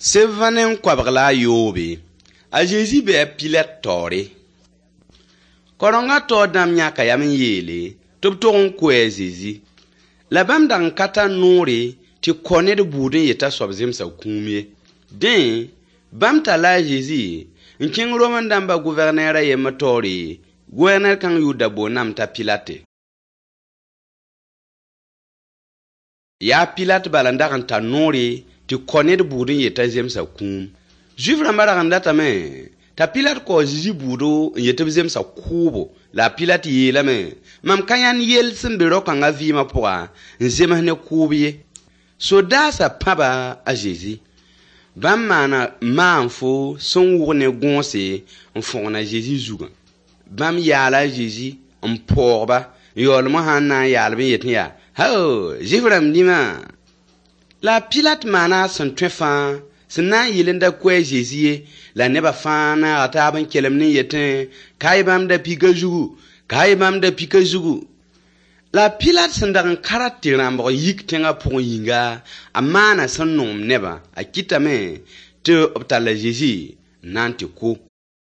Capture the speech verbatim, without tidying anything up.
Sẽn koabg la a yoobe. A Zezi bɩ a Pilat taoore. Kaorengã taoor dãmb yãka yam n yeele tɩ b tog n koe a Zezi. La bãmb dag n ka tar noore tɩ kao ned bʋʋd n yet t'a soab zemsa kũum ye. Dẽ, bãmb talla a Zezi n kẽng Rom dãmbã gʋvɛrneer a yembr taoore, gʋvɛrneer kãng yʋʋr da boondame t'a Pilate. Yaa Pilat bala n dag n tar noore tɩ kao ned bʋʋd n yet t'a zemsa kũum. Zuif-rãmbã rag n datame t'a Pilat kao a Zezi bʋʋdo n yet tɩ b zemsa kʋʋbo. La a Pilat yeelame: mam ka yãnd yell sẽn be rao-kãngã vɩɩmã pʋga n zems ne kʋʋb ye. Sodaasã pãba a Zezi. Bãmb maana maanfo sẽn wʋg ne gõose n fõgen a Zezi zugã. Bãmb yaala a Zezi n paoog-ba n yaoolem sã n na n yaal-b n yetẽ yaa: hao, Zuif-rãmb dĩmã! La a Pilat maana a sẽn tõe fãa sẽn na n yɩl n da koe a Zezi ye, la nebã fãa naaga taab n kelemd n yetẽ: ka-y bãmb da-pɩkã zugu, ka-y bãmb da-pɩkã zugu. La a Pilat sẽn dag n ka rat tɩ rãmbg yik tẽngã pʋgẽ yĩnga, a maana sẽn noom nebã. A kɩtame tɩ b tall a Zezi n na n tɩ kʋ.